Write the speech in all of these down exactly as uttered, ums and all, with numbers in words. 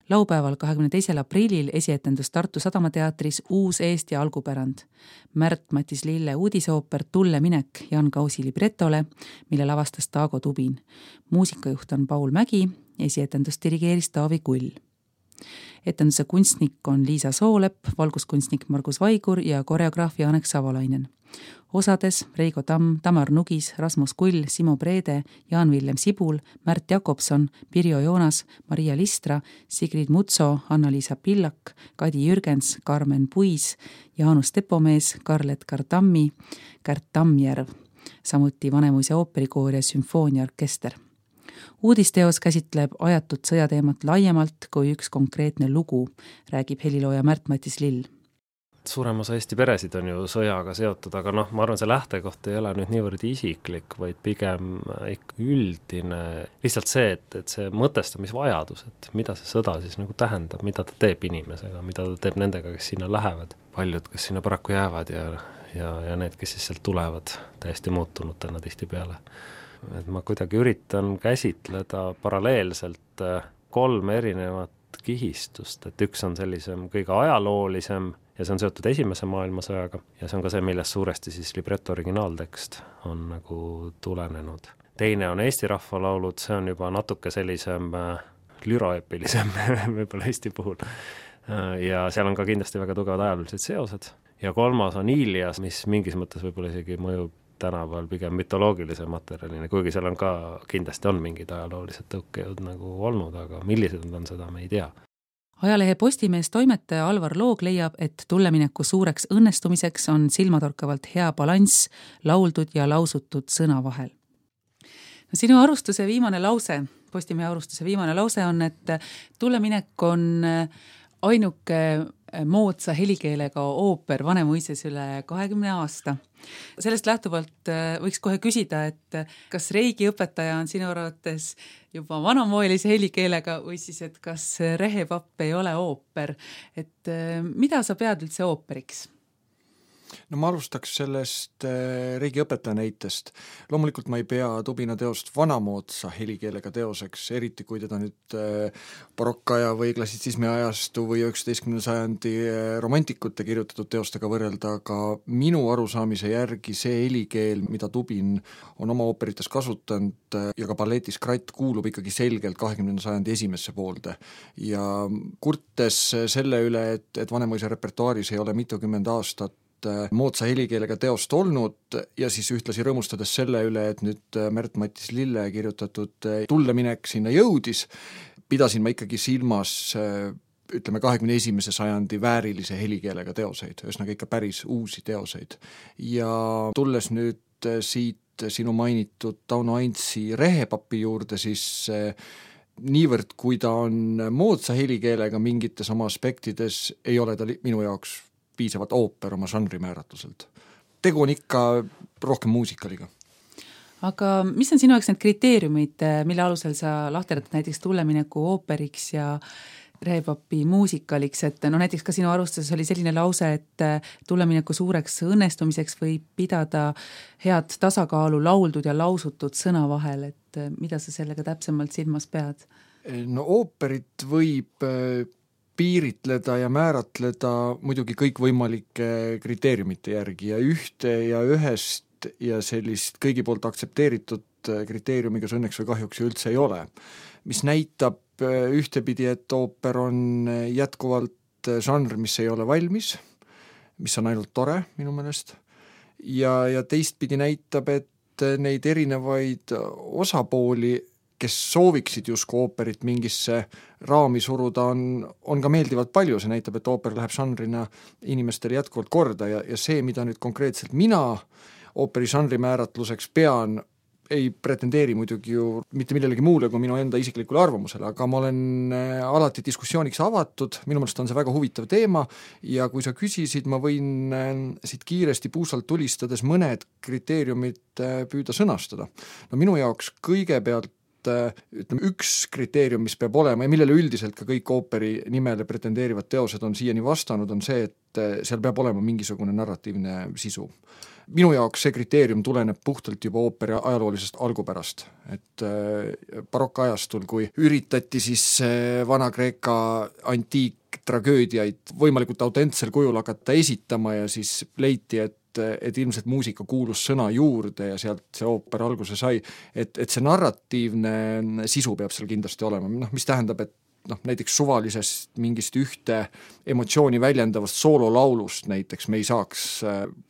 Laupäeval kahekümne teisel aprillil esietendus Tartu Sadamateatris Uus Eesti algupärand. Märt-Matis Lille uudisooper Tulle minek Jan Kausi libretole, mille lavastas Taago Tubin. Muusikajuht on Paul Mägi, esietendust dirigeeris Taavi Kull. Etenduse kunstnik on Liisa Soolepp, valguskunstnik Margus Vaigur ja koreograaf Janek Savolainen. Osades Reigo Tamm, Tamar Nugis, Rasmus Kull, Simo Preede, Jaan-Villem Sibul, Märt Jakobson, Pirjo Joonas, Maria Listra, Sigrid Mutso, Anna-Liisa Pillak, Kadi Jürgens, Karmen Puis, Jaanus Tepomees, Karl-Edgar Tammi, Kärt Tammjärv, samuti Vanemuise ooperikoor ja sümfooniaorkester. Uudisteos käsitleb ajatut sõjateemat laiemalt kui üks konkreetne lugu, räägib helilooja Märt-Matis Lill. Suurem osa Eesti peresid on ju sõjaga seotud, aga noh, ma arvan, see lähtekoht ei ole nüüd niivõrd isiklik, vaid pigem ikka üldine. Lihtsalt see, et, et see mõtestamisvajadus, et mida see sõda siis nagu tähendab, mida ta teeb inimesega, mida ta teeb nendega, kes sinna lähevad. Paljud, kes sinna paraku jäävad ja, ja, ja need, kes siis sealt tulevad täiesti muutunutena tihti peale. Et ma kuidagi üritan käsitleda paralleelselt kolm erinevat kihistust, et üks on sellisem kõige ajaloolisem ja see on seotud esimese maailmasõjaga ja see on ka see, millest suuresti siis libreto originaaltekst on nagu tulenenud. Teine on Eesti rahvalaulud, see on juba natuke sellisem lüraepilisem võib-olla Eesti puhul ja seal on ka kindlasti väga tugevad ajaloolised seosed ja kolmas on Ilias, mis mingis mõttes võib-olla isegi mõjub tänapäeval pigem mütoloogilise materjalina, kuigi seal on ka kindlasti on mingid ajaloolised tõukejõud nagu olnud, aga millised on seda, me ei tea. Ajalehe Postimees toimetaja Alvar Loog leiab, et tullemineku suureks õnnestumiseks on silmatorkavalt hea balanss lauldud ja lausutud sõna vahel. No, sinu arvustuse viimane lause, Postimehe arvustuse viimane lause on, et tulleminek on ainuke moodsa helikeelega ooper Vanemuises üle kahekümne aasta. Sellest lähtuvalt võiks kohe küsida, et kas Reigi õpetaja on sinu arvates juba vanamoelise helikeelega või siis, et kas Rehepapp ei ole ooper. Et mida sa pead üldse ooperiks? No ma alustaks sellest Reigi õpetaja näitest. Loomulikult ma ei pea Tubina teost vanamoodsa helikeelega teoseks, eriti kui teda nüüd barokkaja või klassitsismi ajastu või üheksateistkümnenda sajandi romantikute kirjutatud teostega võrrelda, aga minu arusaamise järgi see helikeel, mida Tubin on oma ooperites kasutanud ja ka balletis Kratt kuulub ikkagi selgelt kahekümnenda sajandi esimesse poolde. Ja kurtes selle üle, et, et Vanemuise repertuaaris ei ole mitukümmend aastat moodsa helikeelega teost olnud ja siis ühtlasi rõõmustades selle üle, et nüüd Märt-Matis Lille kirjutatud tulleminek sinna jõudis, pidasin ma ikkagi silmas ütleme kahekümne esimese sajandi väärilise helikeelega teoseid, ühesõnaga ikka päris uusi teoseid. Ja tulles nüüd siit sinu mainitud Tauno Aintsi Rehepapi juurde, siis niivõrd, kui ta on moodsa helikeelega mingites oma aspektides, ei ole ta minu jaoks piisavalt ooper oma žanri määratluselt. Tegu on ikka rohkem muusikaliga. Aga mis on sinu jaoks need kriteeriumid, mille alusel sa lahterdad näiteks tullemineku ooperiks ja Rehepapi muusikaliks, et no näiteks ka sinu arvustuses oli selline lause, et tullemineku suureks õnnestumiseks võib pidada head tasakaalu lauldud ja lausutud sõna vahel, et mida sa sellega täpsemalt silmas pead? No ooperit võib piiritleda ja määratleda muidugi kõik võimalike kriteeriumite järgi ja ühte ja ühest ja sellist kõigi poolt aktsepteeritud kriteeriumiga see õnneks või kahjuks üldse ei ole. Mis näitab ühtepidi, et ooper on jätkuvalt žanr, mis ei ole valmis, mis on ainult tore minu meelest ja, ja teistpidi näitab, et neid erinevaid osapooli kes sooviksid justkui ooperit mingisse raami suruda, on, on ka meeldivalt palju. See näitab, et ooper läheb žanrina inimestele jätkuvalt korda ja, ja see, mida nüüd konkreetselt mina ooperi žanri määratluseks pean, ei pretendeeri muidugi ju mitte millelegi muule kui minu enda isiklikule arvamusele, aga ma olen alati diskussiooniks avatud, minu meelest on see väga huvitav teema ja kui sa küsisid, ma võin siit kiiresti puusalt tulistades mõned kriteeriumid püüda sõnastada. No minu jaoks kõigepealt ütleme, üks kriteerium, mis peab olema ja millele üldiselt ka kõik ooperi nimele pretendeerivad teosed on siiani vastanud, on see, et seal peab olema mingisugune narratiivne sisu. minu jaoks see kriteerium tuleneb puhtalt juba ooperi ajaloolisest algupärast, et barokkajastul, kui üritati siis Vana-Kreeka antiiktragöödiaid võimalikult autentsel kujul hakata esitama ja siis leiti, et et ilmselt muusika kuulus sõna juurde ja sealt see ooper alguse sai, et, et see narratiivne sisu peab seal kindlasti olema, noh, mis tähendab, et noh, näiteks suvalisest mingist ühte emotsiooni väljendavast soololaulust näiteks me ei saaks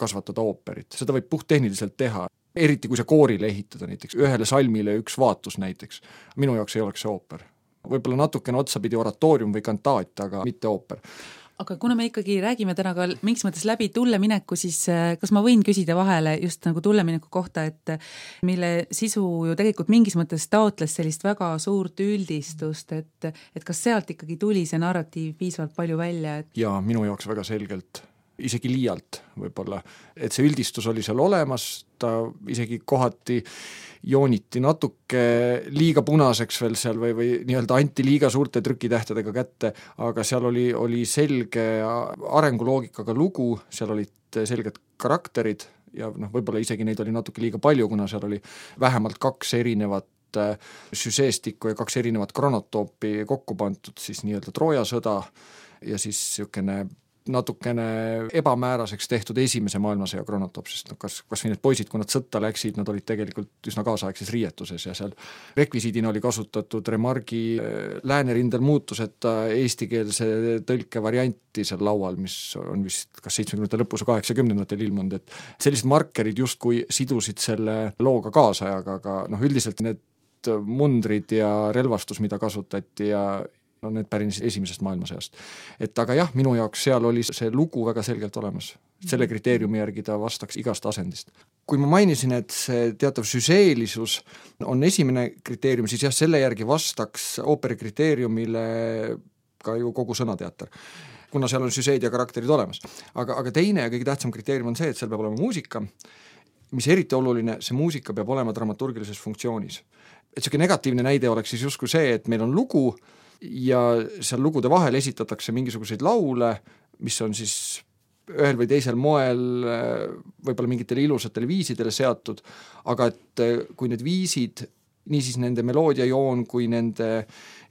kasvatada ooperit, seda võib puhttehniliselt teha, eriti kui see koorile ehitada näiteks, ühele salmile üks vaatus näiteks, minu jaoks ei oleks see ooper. Võib-olla natukene otsapidi oratoorium või kantaat, aga mitte ooper. Aga kuna me ikkagi räägime täna ka mingis mõttes läbi tullemineku, siis kas ma võin küsida vahele just nagu tullemineku kohta, et mille sisu ju tegelikult mingis mõttes taotles sellist väga suurt üldistust, et, et kas sealt ikkagi tuli see narratiiv piisavalt palju välja? Et... Jaa, minu jaoks väga selgelt, isegi liialt võib-olla, et see üldistus oli seal olemas, ta isegi kohati jooniti natuke liiga punaseks veel seal või, või nii-öelda anti liiga suurte trükitähtedega kätte, aga seal oli, oli selge arenguloogikaga lugu, seal olid selged karakterid ja noh, võib-olla isegi neid oli natuke liiga palju, kuna seal oli vähemalt kaks erinevat süseestikku ja kaks erinevat kronotoopi kokku pandud, siis nii-öelda Trooja sõda ja siis niisugune natukene ebamääraseks tehtud esimese maailmasõja kronotoop, sest no kas, kas või need poisid, kui nad sõtta läksid, nad olid tegelikult üsna kaasaegses riietuses ja seal rekvisiidina oli kasutatud Remargi läänerindel muutuseta eestikeelse tõlke varianti seal laual, mis on vist kas seitsmekümnendate lõpus või kaheksakümnendatel ilmunud, et sellised markerid justkui sidusid selle looga kaasajaga, aga noh, üldiselt need mundrid ja relvastus, mida kasutati ja no need pärines esimesest maailmasõjast. Et aga jah, minu jaoks seal oli see lugu väga selgelt olemas. Selle kriteeriumi järgi ta vastaks igast asendist. Kui ma mainisin, et see teatav süseelisus on esimene kriteerium, siis jah, selle järgi vastaks ooperi kriteeriumile ka ju kogu sõnateater, kuna seal on süseed ja karakterid olemas. Aga, aga teine ja kõige tähtsam kriteerium on see, et seal peab olema muusika, mis eriti oluline, see muusika peab olema dramaturgilises funktsioonis. Et selline negatiivne näide oleks siis justkui see, et meil on lugu, ja seal lugude vahel esitatakse mingisuguseid laule, mis on siis ühel või teisel moel võib-olla mingitele ilusatele viisidele seatud, aga et kui need viisid, niisiis nende meloodiajoon kui nende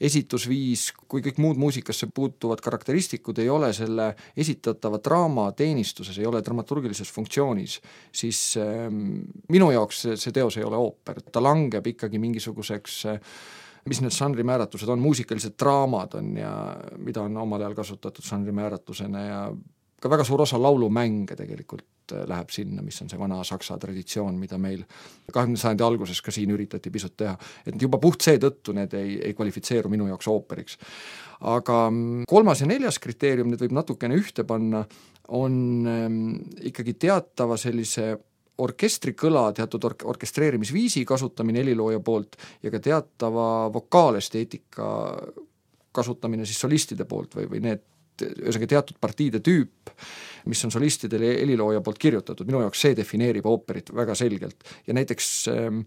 esitusviis, kui kõik muud muusikasse puutuvad karakteristikud ei ole selle esitatava draama teenistuses, ei ole dramaturgilises funktsioonis, siis ähm, minu jaoks see, see teos ei ole ooper, ta langeb ikkagi mingisuguseks mis need žanrimääratused on, muusikalised draamad on ja mida on omal ajal kasutatud žanrimääratusena ja ka väga suur osa laulumänge tegelikult läheb sinna, mis on see vana saksa traditsioon, mida meil kahekümnenda sajandi alguses ka siin üritati pisut teha. Et juba puht seetõttu need ei, ei kvalifitseeru minu jaoks ooperiks. Aga kolmas ja neljas kriteerium, need võib natukene ühte panna, on ähm, ikkagi teatava sellise orkestrikõla, teatud ork- orkestreerimisviisi kasutamine helilooja poolt ja ka teatava vokaalesteetika kasutamine siis solistide poolt või, või need ühesõnaga teatud partiide tüüp, mis on solistidele helilooja poolt kirjutatud, minu jaoks see defineerib ooperit väga selgelt ja näiteks ähm,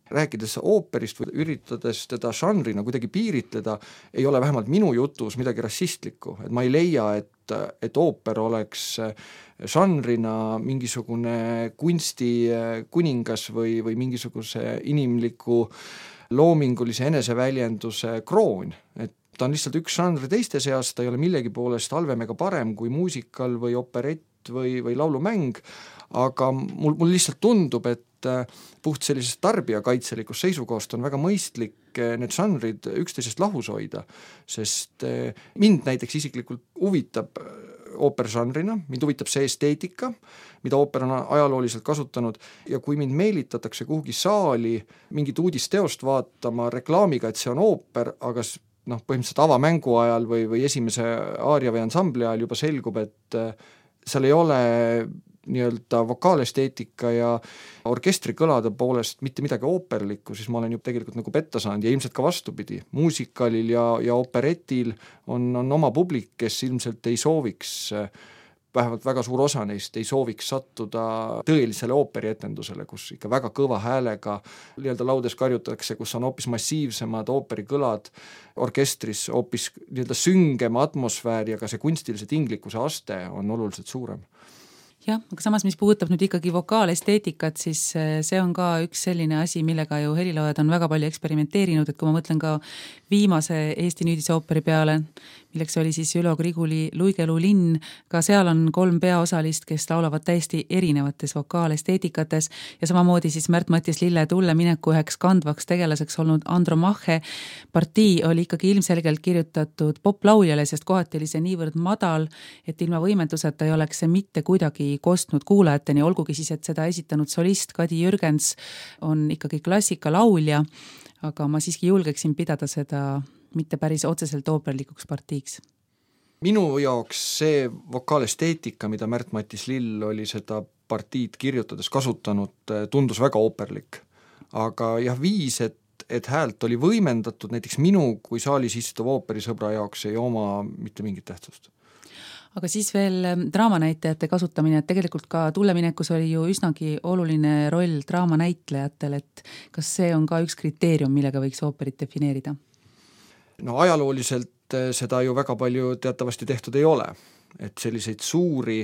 rääkides ooperist või üritades teda žanrina kuidagi piiritleda, ei ole vähemalt minu jutus midagi rassistlikku, et ma ei leia, et, et ooper oleks žanrina mingisugune kunsti kuningas või, või mingisuguse inimliku loomingulise eneseväljenduse kroon, et ta on lihtsalt üks žanr teiste seas, ta ei ole millegi poolest halvem ega parem kui muusikal või operett või, või laulumäng, aga mul, mul lihtsalt tundub, et puht sellisest tarbijakaitselikust seisukohast on väga mõistlik need žanrid üksteisest lahus hoida, sest mind näiteks isiklikult huvitab ooperžanrina, mind huvitab see esteetika, mida ooper on ajalooliselt kasutanud ja kui mind meelitatakse kuhugi saali mingit uudisteost vaatama reklaamiga, et see on ooper, aga noh, põhimõtteliselt avamängu ajal või, või esimese aaria või ansambli ajal juba selgub, et seal ei ole nii-öelda vokaalesteetika ja orkestrikõlade poolest mitte midagi ooperlikku, siis ma olen ju tegelikult nagu petta saanud ja ilmselt ka vastupidi. Muusikalil ja, ja operetil on, on oma publik, kes ilmselt ei sooviks, vähemalt väga suur osa neist ei sooviks sattuda tõelisele ooperietendusele, kus ikka väga kõva häälega nii-öelda laudes karjutatakse, kus on hoopis massiivsemad ooperikõlad, orkestris hoopis nii-öelda süngem atmosfäär ja ka see kunstilise tinglikkuse aste on oluliselt suurem. jah, aga samas, mis puudutab nüüd ikkagi vokaalesteetikat, siis see on ka üks selline asi, millega ju heliloojad on väga palju eksperimenteerinud, et kui ma mõtlen ka viimase Eesti nüüdisooperi peale, milleks oli siis Ülo Griguli Luigelu linn, ka seal on kolm peaosalist, kes laulavad täiesti erinevates vokaalesteetikates ja samamoodi siis Märt-Mattias Lille Tulle mineku üheks kandvaks tegelaseks olnud Andro Mache partii oli ikkagi ilmselgelt kirjutatud poplauljale, sest kohati oli see niivõrd madal, et ilma võimenduseta ei oleks see mitte kuidagi kostnud kuulajateni, olgugi siis, et seda esitanud solist Kadi Jürgens on ikkagi klassikalaulja, aga ma siiski julgeksin pidada seda mitte päris otseselt ooperlikuks partiiks. Minu jaoks see vokaalesteetika, mida Märt-Mattias Lill oli seda partiid kirjutades kasutanud, tundus väga ooperlik. Aga jah, viis, et, et häält oli võimendatud, näiteks minu kui saalis istuv ooperisõbra jaoks ei oma mitte mingit tähtsust. Aga siis veel draamanäitajate kasutamine, et tegelikult ka Tulleminekus oli ju üsnagi oluline roll draamanäitlejatel, et kas see on ka üks kriteerium, millega võiks ooperit defineerida? No ajalooliselt seda ju väga palju teatavasti tehtud ei ole, et selliseid suuri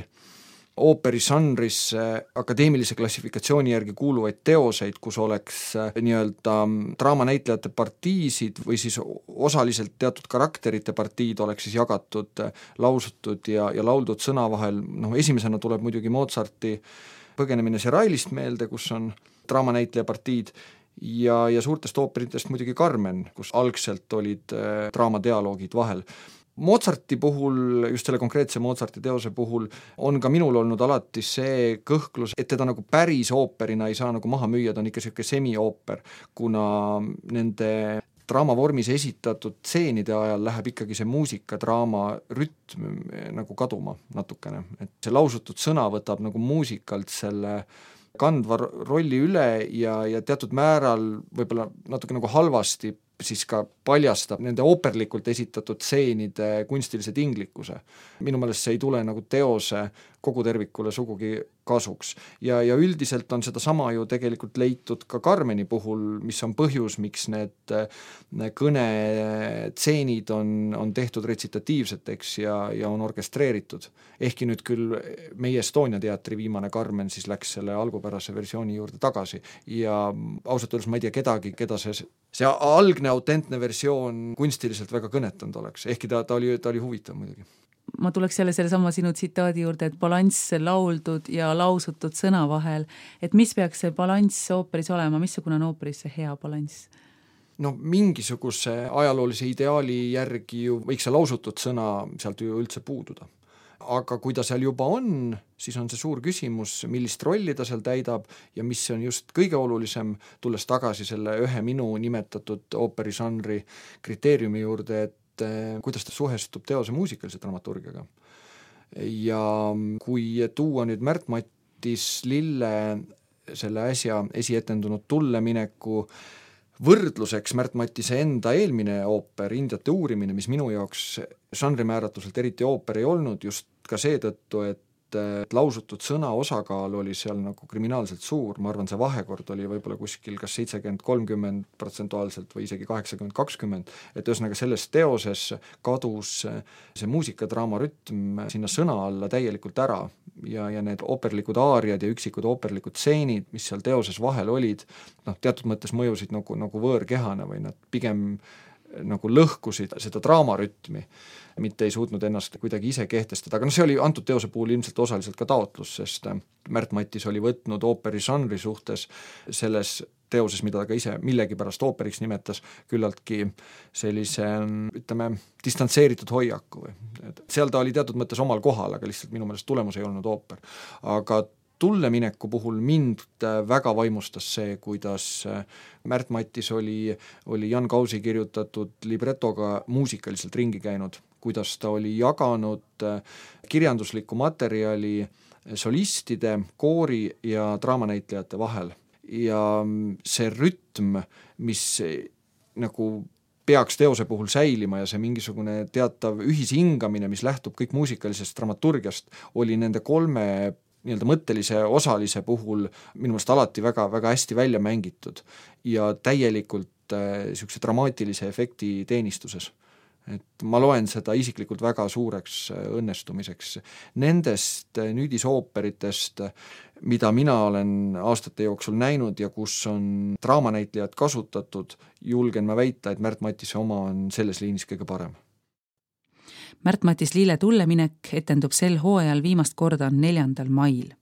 ooperisanrisse akadeemilise klassifikatsiooni järgi kuuluvaid teoseid, kus oleks nii-öelda draamanäitlejate partiisid või siis osaliselt teatud karakterite partiid oleks siis jagatud lausutud ja, ja lauldud sõna vahel. Noh, esimesena tuleb muidugi Mozarti Põgenemine Serailist meelde, kus on draamanäitleja partiid ja, ja suurtest ooperitest muidugi Carmen, kus algselt olid draamadialoogid vahel. Mozarti puhul, just selle konkreetse Mozarti teose puhul, on ka minul olnud alati see kõhklus, et teda nagu päris ooperina ei saa nagu maha müüa, ta on ikka selline semi-ooper, kuna nende draamavormis esitatud tseenide ajal läheb ikkagi see muusika, draama rütm nagu kaduma natukene, et see lausutud sõna võtab nagu muusikalt selle kandva rolli üle ja, ja teatud määral võib-olla natuke nagu halvasti siis ka paljastab nende ooperlikult esitatud tseenide kunstilise tinglikkuse. Minu meelest see ei tule nagu teose kogu tervikule sugugi kasuks. Ja, ja üldiselt on seda sama ju tegelikult leitud ka Carmeni puhul, mis on põhjus, miks need kõnetseenid on, on tehtud retsitatiivseteks ja, ja on orkestreeritud. Ehkki nüüd küll meie Estonia teatri viimane Carmen siis läks selle algupärase versiooni juurde tagasi ja ausalt öeldes ma ei tea kedagi, keda see, see algne autentne versioon kunstiliselt väga kõnetanud oleks, ehkki ta, ta, oli, ta oli huvitav muidugi. Ma tuleks jälle selle sama sinu tsitaadi juurde, et balanss lauldud ja lausutud sõna vahel, et mis peaks see balanss ooperis olema, missugune on ooperis see hea balanss? No mingisuguse ajaloolise ideaali järgi ju võiks see lausutud sõna sealt ju üldse puududa. Aga kui ta seal juba on, siis on see suur küsimus, millist rolli ta seal täidab ja mis on just kõige olulisem, tulles tagasi selle ühe minu nimetatud ooperižanri kriteeriumi juurde, et kuidas ta suhestub teose muusikalise dramaturgiaga. Ja kui tuua nüüd Märt-Mattias Lille selle äsja esietendunud Tullemineku võrdluseks Märt-Mattise enda eelmine ooper, Indiate uurimine, mis minu jaoks žanrimääratluselt eriti ooper ei olnud, just ka seetõttu, et lausutud sõna osakaal oli seal nagu kriminaalselt suur, ma arvan, see vahekord oli võib-olla kuskil kas seitsekümmend kolmkümmend protsentuaalselt või isegi kaheksakümmend kakskümmend, et ühesõnaga selles teoses kadus see muusikadraama rütm sinna sõna alla täielikult ära ja, ja need ooperlikud aariad ja üksikud ooperlikud stseenid, mis seal teoses vahel olid, noh, teatud mõttes mõjusid nagu, nagu võõrkehane või nad pigem nagu lõhkusid seda draamarütmi, mitte ei suutnud ennast kuidagi ise kehtestada, aga no see oli antud teose puhul ilmselt osaliselt ka taotlus, sest Märt-Mattias oli võtnud ooperižanri suhtes selles teoses, mida ta ka ise millegipärast ooperiks nimetas, küllaltki sellise, ütleme, distantseeritud hoiaku. Seal ta oli teatud mõttes omal kohal, aga lihtsalt minu meelest tulemus ei olnud ooper. Aga Tullemineku puhul mind väga vaimustas see, kuidas Märt-Mattias oli, oli Jan Kausi kirjutatud libretoga muusikaliselt ringi käinud, kuidas ta oli jaganud kirjanduslikku materjali solistide, koori ja draamanäitlejate vahel. Ja see rütm, mis nagu peaks teose puhul säilima ja see mingisugune teatav ühishingamine, mis lähtub kõik muusikalisest dramaturgiast, oli nende kolme nii-öelda mõttelise osalise puhul minu meelest alati väga, väga hästi välja mängitud ja täielikult äh, niisuguse dramaatilise efekti teenistuses. et ma loen seda isiklikult väga suureks õnnestumiseks. Nendest nüüdisooperitest, mida mina olen aastate jooksul näinud ja kus on draamanäitlejad kasutatud, julgen ma väita, et Märt Matise oma on selles liinis kõige parem. Märt-Matis Lille tulleminek etendub sel hooajal viimast korda neljandal mail.